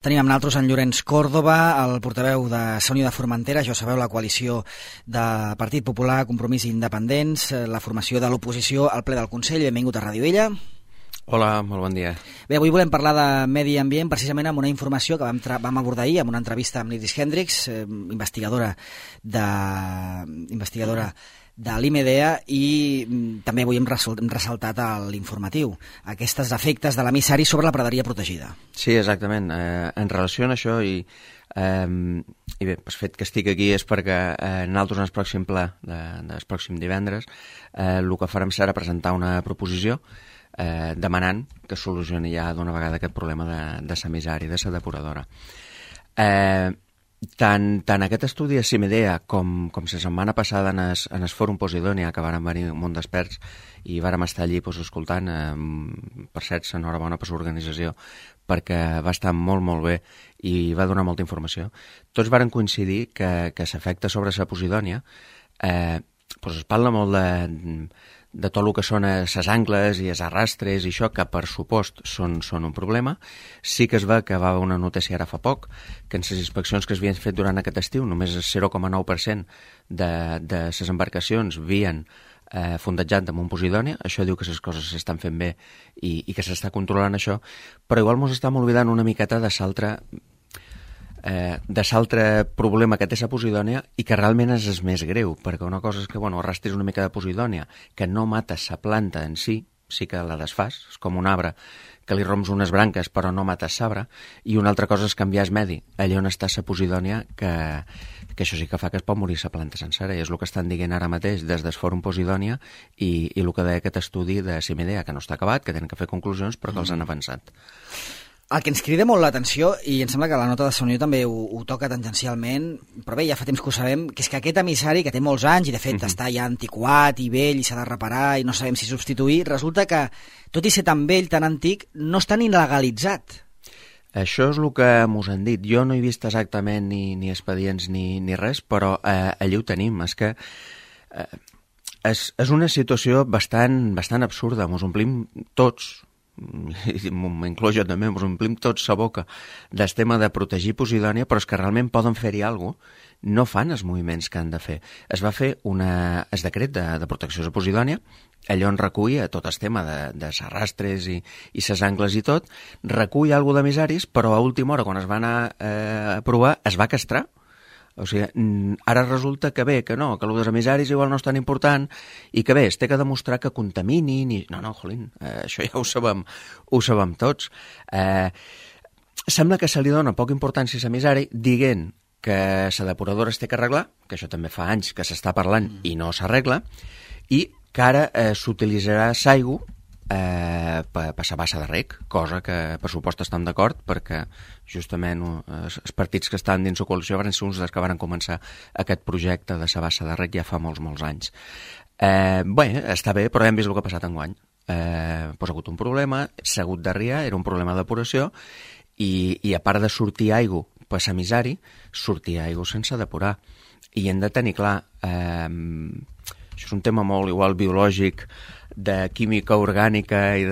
Tenim amb nosaltres en Llorenç Còrdova, el portaveu de Unió de Formentera, ja sabeu, la coalició de Partit Popular, Compromís i Independents, la formació de l'oposició al ple del Consell. Benvingut a Ràdio Vella. Hola, molt bon dia. Bé, avui volem parlar de medi ambient, precisament amb una informació que vam abordar ahir amb una entrevista amb l'Iris Hendricks, investigadora de l'IMEDEA, i també avui hem ressaltat a l'informatiu aquests efectes de l'emissari sobre la praderia protegida. Sí, exactament. En relació a això, i bé, el fet que estic aquí és perquè nosaltres en el pròxim ple, del pròxim divendres, el que farem serà presentar una proposició demanant que solucioni ja d'una vegada aquest problema de l'emissari, de la depuradora. Tant aquest estudi de CIMEDEA com la setmana passada en el Fòrum Posidònia, que varen venir un munt d'experts i vàrem estar allí escoltant, per cert, enhorabona per l'organització, perquè va estar molt, molt bé i va donar molta informació. Tots varen coincidir que l'efecte sobre la Posidònia es parla molt de tot el que són les angles i els arrastres i això, que per supost són un problema. Sí que es va que va haver una notícia ara fa poc, que en les inspeccions que s'havien fet durant aquest estiu només el 0,9% de les embarcacions havien fondejat damunt Posidònia. Això diu que les coses s'estan fent bé i que s'està controlant això, però igual ens estem oblidant una miqueta de l'altre problema que té la Posidònia i que realment és el més greu, perquè una cosa és que arrastris una mica de Posidònia, que no mata la planta en si, sí que la desfàs, és com un arbre que li romps unes branques però no mates l'arbre, i una altra cosa és canviar el medi, allà on està la Posidònia, que això sí que fa que es pot morir la planta sencera, i és el que estan dient ara mateix des del Fòrum Posidònia i el que deia aquest estudi de CIMEDEA, que no està acabat, que tenen que fer conclusions, però que els han avançat. El que ens crida molt l'atenció, i em sembla que la nota de Unió també ho toca tangencialment, però bé, ja fa temps que ho sabem, que és que aquest emissari, que té molts anys i de fet està ja antiquat i vell i s'ha de reparar i no sabem si substituir, resulta que, tot i ser tan vell, tan antic, no està ni legalitzat. Això és el que mos han dit. Jo no he vist exactament ni expedients ni res, però allí ho tenim. És que és una situació bastant absurda. Mos omplim tots, m'inclou jo també, ens omplim tots la boca del tema de protegir Posidònia, però és que realment poden fer-hi alguna cosa, no fan els moviments que han de fer. Es va fer el decret de protecció de Posidònia, allò on recull tot el tema de arrastres i ses angles i tot, recull alguna cosa d'emissaris, però a última hora, quan es va anar a aprovar, es va castrar. O sigui, ara resulta que bé, que no, que el dels emissaris igual no és tan important i que bé, es té que demostrar que contaminin i... No, jolín, això ja ho sabem tots. Sembla que se li dona poca importància a l'emissari dient que la depuradora es té que arreglar, que això també fa anys que s'està parlant i no s'arregla, i que ara s'utilitzarà l'aigua per la bassa de rec, cosa que per supost estan d'acord, perquè justament els partits que estan dins la coalició van ser uns dels que van començar aquest projecte de la bassa de rec ja fa molts anys. Bé, està bé, però hem vist el que ha passat enguany. Ha hagut un problema, s'ha hagut d'arriar, era un problema depuració, i a part de sortir aigua per l'emissari, sortir aigua sense depurar. I hem de tenir clar, això és un tema molt igual biològic, de química orgànica i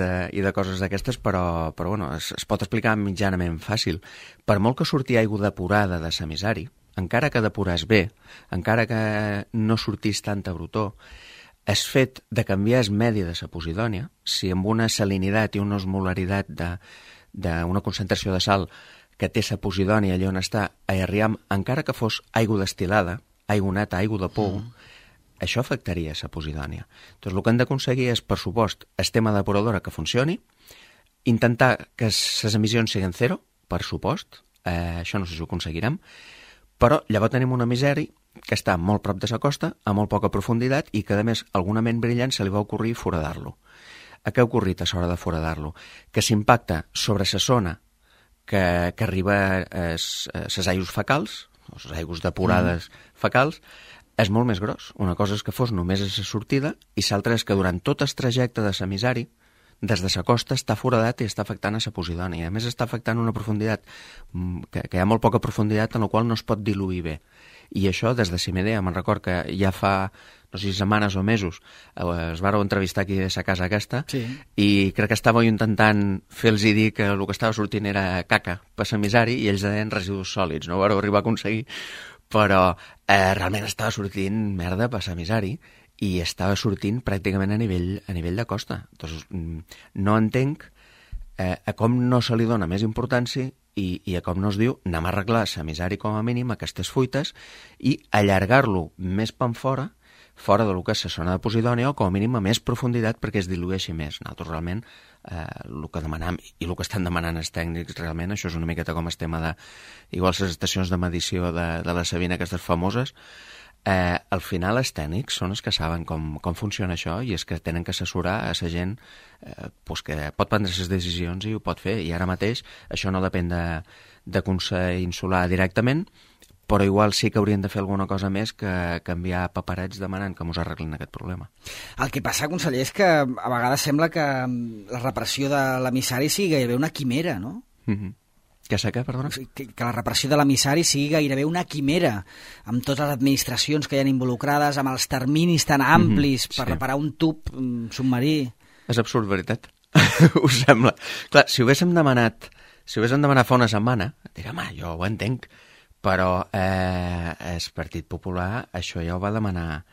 de coses d'aquestes, però es pot explicar mitjanament fàcil. Per molt que surti aigua depurada de l'emissari, encara que depuràs bé, encara que no sortís tanta brutó, el fet de canviar el medi de la Posidònia, si amb una salinitat i una osmolaritat d'una concentració de sal que té la Posidònia allà on està, encara que fos aigua destil·lada, aigua neta, aigua de pou, això afectaria la Posidònia. Doncs el que hem d'aconseguir és, per supost, el tema depuradora que funcioni, intentar que les emissions siguin zero, per supost, això no sé si ho aconseguirem, però llavors tenim un emissari que està molt prop de la costa, a molt poca profunditat, i que, a més, alguna ment brillant se li va ocorrir foradar-lo. A què ha ocorrit a l'hora de foradar-lo? Que s'impacta sobre la zona que arriba a les aigües fecals, les aigües depurades fecals, és molt més gros. Una cosa és que fos només a la sortida i l'altra és que durant tot el trajecte de l'emissari, des de la costa, està foradat i està afectant a la Posidònia. A més, està afectant una profunditat, que hi ha molt poca profunditat en la qual no es pot diluir bé. I això, des de CMD, me'n record que ja fa, no sé si setmanes o mesos, es vàreu entrevistar aquí a sa casa aquesta, sí. I crec que estàveu intentant fer-los dir que el que estava sortint era caca per l'emissari i ells deien residus sòlids, no ho vàreu arribar a aconseguir, però realment estava sortint merda per l'emissari i estava sortint pràcticament a nivell de costa. Entonces, no entenc a com no se li dona més importància i a com no es diu anem a arreglar l'emissari com a mínim aquestes fuites i allargar-lo més fora del que és la zona de Posidònia o com a mínim a més profunditat perquè es dilueixi més. Nosaltres realment el que demanam i el que estan demanant els tècnics realment, això és una miqueta com el tema de igual les estacions de medició de la Sabina, aquestes famoses, al final els tècnics són els que saben com funciona això i és que tenen que assessorar a la gent que pot prendre les decisions i ho pot fer, i ara mateix això no depèn de Consell Insular directament, però igual sí que haurien de fer alguna cosa més que enviar paperets demanant que ens arreglin aquest problema. El que passa, conseller, és que a vegades sembla que la repressió de l'emissari sigui gairebé una quimera, no? Què sé què, perdona? Que la repressió de l'emissari sigui gairebé una quimera, amb totes les administracions que hi ha involucrades, amb els terminis tan amplis per reparar un tub submarí. És absurd, veritat. Us sembla? Clar, si ho haguéssim demanat fa una setmana, direm, jo ho entenc, però el Partit Popular això ja ho va demanar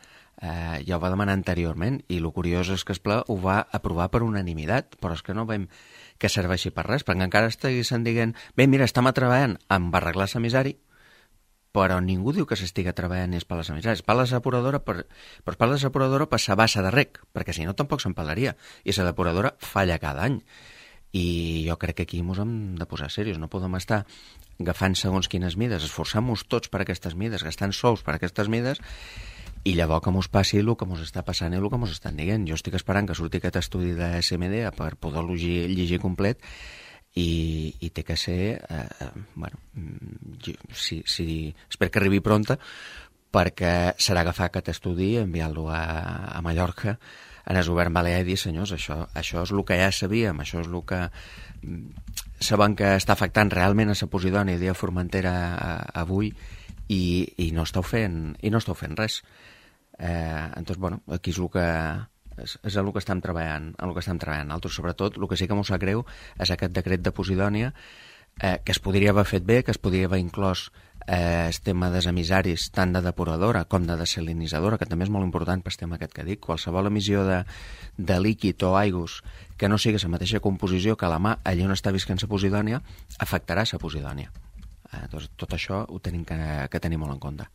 anteriorment, i el curiós és que el ple ho va aprovar per unanimitat, però és que no veiem que serveixi per res, perquè encara estiguessin dient, bé, mira, estem treballant amb arreglar l'emissari, però ningú diu que s'estiga treballant ni es per les emissaris, per la depuradora per la bassa de rec, perquè si no tampoc se'n parlaria, i la depuradora falla cada any. I jo crec que aquí ens hem de posar serios, no podem estar agafant segons quines mides, esforçant-nos tots per aquestes mides, gastant sous per aquestes mides, i llavors que ens passi el que ens està passant i el que ens estan dient. Jo estic esperant que surti aquest estudi de SMD per poder-lo llegir complet, i té que ser, espero que arribi pronta, perquè serà agafar aquest estudi i enviar-lo a Mallorca, en el govern balear, i dir, senyors, això és el que ja sabíem, això és el que sabem que està afectant realment a la Posidònia i a Formentera avui, i no esteu fent res. Entonces, aquí és el que estem treballant, Altres, sobretot, el que sí que m'ho sap greu és aquest decret de Posidònia, que es podria haver fet bé, que es podria haver inclòs el tema dels emissaris, tant de depuradora com de desalinitzadora, que també és molt important pel tema aquest que dic. Qualsevol emissió de líquid o aigües que no sigui la mateixa composició que la mà allà on està visquent la Posidònia afectarà la Posidònia. Doncs tot això ho tenim que tenir molt en compte.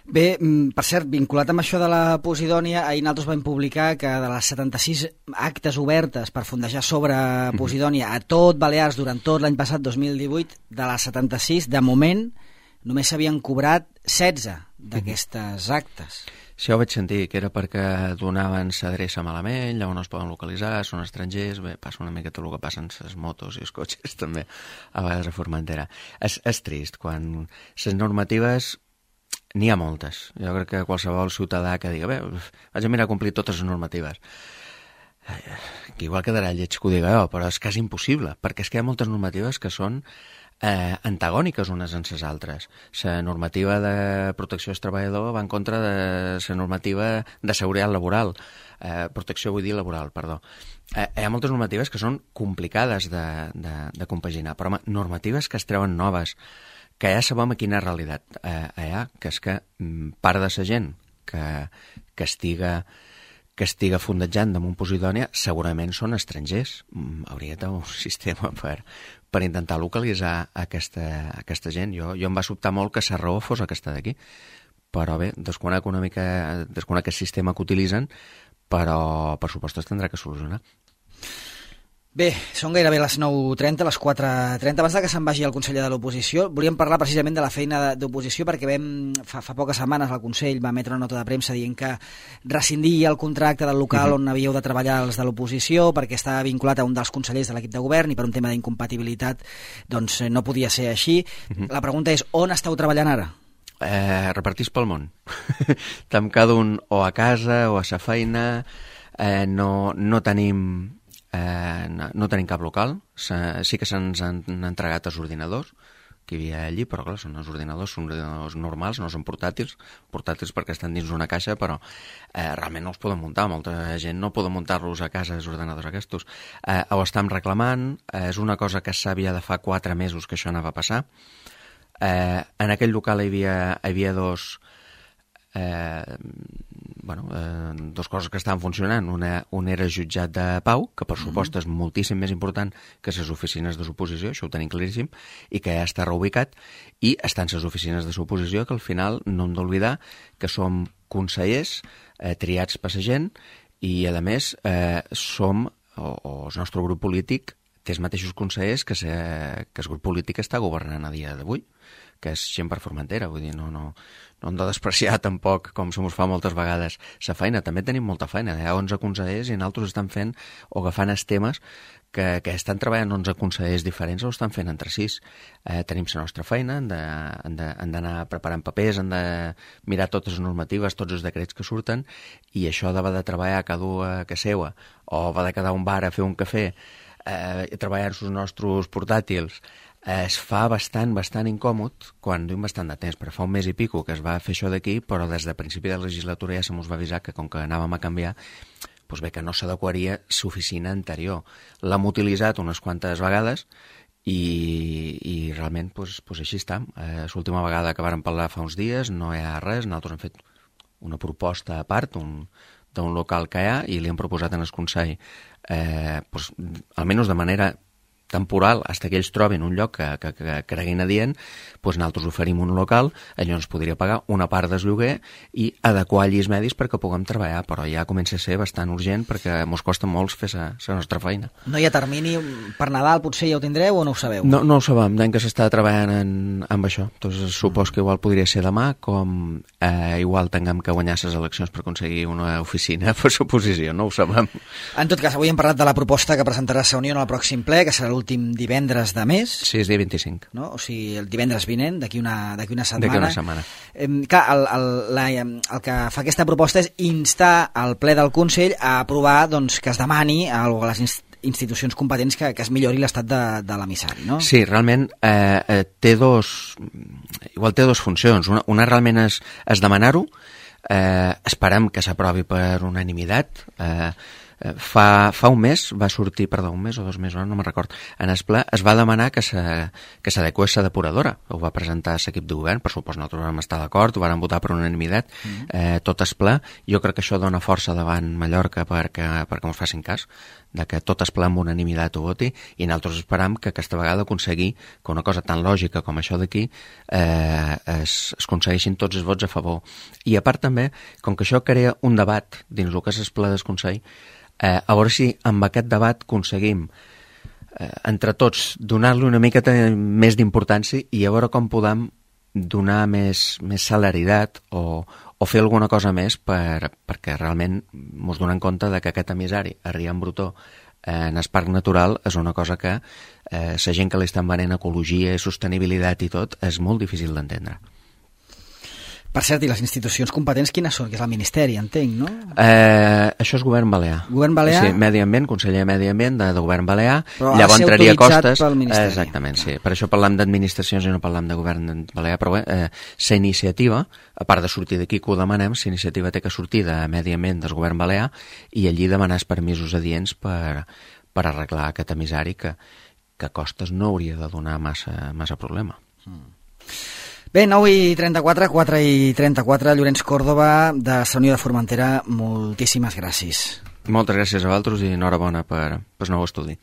Bé, per cert, vinculat amb això de la Posidònia, ahir nosaltres vam publicar que de les 76 actes obertes per fondejar sobre Posidònia a tot Balears durant tot l'any passat, 2018, de les 76, de moment, només s'havien cobrat 16 d'aquestes actes. Sí, ho vaig sentir, que era perquè donaven s'adreça malament, llavors no es poden localitzar, són estrangers, bé, passa una mica tot el que passen les motos i els cotxes també, a vegades a Formentera. És trist, quan les normatives n'hi ha moltes. Jo crec que qualsevol ciutadà que digui, bé, vaig a mirar a complir totes les normatives. Que igual quedarà lleig que ho diga jo, però és quasi impossible, perquè és que hi ha moltes normatives que són antagòniques unes en les altres. La normativa de protecció del treballador va en contra de la normativa de seguretat laboral. Protecció, vull dir laboral, perdó. Hi ha moltes normatives que són complicades de compaginar, però normatives que es treuen noves, que ja sabem a quina realitat hi ha, que és que part de la gent que estiga fondejant damunt Posidònia segurament són estrangers. Hauria de tenir un sistema per intentar localitzar aquesta gent. Jo em va sobtar molt que la raó fos aquesta d'aquí, però bé, desconec el sistema que utilitzen, però per supost es tindrà que solucionar. Bé, són gairebé les 9:30, les 4:30. Abans que se'n vagi el conseller de l'oposició, volíem parlar precisament de la feina d'oposició, perquè fa poques setmanes el Consell va emetre una nota de premsa dient que rescindia el contracte del local on havíeu de treballar els de l'oposició, perquè estava vinculat a un dels consellers de l'equip de govern i per un tema d'incompatibilitat doncs no podia ser així. La pregunta és, on esteu treballant ara? Repartits pel món. Estem cada un o a casa o a sa feina, no tenim cap local. Sí que se'ns han entregat els ordinadors, que hi havia allí, però clar, són ordinadors normals, no són portàtils perquè estan dins d'una caixa, però realment no els poden muntar, molta gent no poden muntar-los a casa, els ordinadors aquests. Ho estem reclamant, és una cosa que sabia de fa 4 mesos que això anava a passar. En aquell local hi havia dos coses que estaven funcionant. Un era jutjat de pau, que per supost és moltíssim més important que les oficines de suposició, això ho tenim claríssim, i que ja està reubicat, i estan les oficines de suposició, que al final no hem d'oblidar que som consellers triats per la gent, i a més som, o el nostre grup polític té els mateixos consellers que el grup polític està governant a dia d'avui, que és gent per Formentera, vull dir, no hem de despreciar tampoc, com se mos fa moltes vegades, la feina. També tenim molta feina, hi ha 11 consellers i nosaltres estan fent o agafant els temes que estan treballant 11 consellers diferents o estan fent entre 6. Tenim la nostra feina, hem d'anar preparant papers, hem de mirar totes les normatives, tots els decrets que surten, i això de treballar cada un a casa seva, o va de quedar un bar a fer un cafè, treballar els nostres portàtils, es fa bastant incòmod quan duim bastant de temps, perquè fa un mes i pico que es va fer això d'aquí, però des de principi de la legislatura ja se mos va avisar que com que anàvem a canviar, doncs bé, que no s'adequaria l'oficina anterior. L'hem utilitzat unes quantes vegades i realment doncs així està. L'última vegada que vàrem parlar fa uns dies no hi ha res, nosaltres hem fet una proposta a part d'un local que hi ha i li hem proposat en el Consell almenys de manera temporal, fins que ells trobin un lloc que creguin adient, doncs nosaltres oferim un local, allò ens podria pagar una part del lloguer i adequar allí els medis perquè puguem treballar, però ja comença a ser bastant urgent perquè ens costa molt fer la nostra feina. No hi ha termini per Nadal, potser ja ho tindreu o no ho sabeu? No ho sabem, d'any que s'està treballant amb això. Doncs supos que igual podria ser demà, com igual tinguem que guanyar les eleccions per aconseguir una oficina per suposició, no ho sabem. En tot cas, avui hem parlat de la proposta que presentarà la Unió en el pròxim ple, que serà l'últim divendres de mes. Sí, és dia 25. No? O sigui, el divendres vinent, d'aquí una setmana. D'aquí una setmana. Clar, el que fa aquesta proposta és instar al ple del Consell a aprovar doncs, que es demani a les institucions competents que es millori l'estat de l'emissari, no? Sí, realment té dos funcions. Una realment és demanar-ho, esperem que s'aprovi per unanimitat. Fa un mes va sortir, un mes o 2 mesos, no me'n record, en el ple es va demanar que s'adequés la depuradora. Ho va presentar l'equip de govern, per supost nosaltres vam estar d'acord, ho vam votar per unanimitat, tot el ple. Jo crec que això dona força davant Mallorca perquè ens facin cas, de que tot el ple amb unanimitat ho voti, i nosaltres esperam que aquesta vegada aconseguir que una cosa tan lògica com això d'aquí es aconsegueixin tots els vots a favor. I a part també, com que això crea un debat dins el que és el ple del Consell, a veure si amb aquest debat aconseguim entre tots donar-li una miqueta més d'importància i a veure com podem donar més celeritat o fer alguna cosa més perquè realment ens donem compte de que aquest emissari a Rian Brutó en el parc natural és una cosa que la gent que li estan venent ecologia i sostenibilitat i tot és molt difícil d'entendre. Per cert, i les institucions competents quines són? Que és el Ministeri, entenc, no? Això és Govern Balear. Govern Balear? Sí, Medi Ambient, Conseller de Medi Ambient de Govern Balear. Però ha de ser autoritzat pel Ministeri. Exactament, sí. Per això parlem d'administracions i no parlem de Govern Balear, però bé, la iniciativa, a part de sortir d'aquí que ho demanem, la iniciativa té que sortir de Medi Ambient del Govern Balear i allí demanar els permisos adients per arreglar aquest emissari que a costes no hauria de donar massa problema. Bé, 9:34, 4:34, Llorenç Còrdova, de la Unió de Formentera, moltíssimes gràcies. Moltes gràcies a vosaltres i enhorabona per el nou estudi.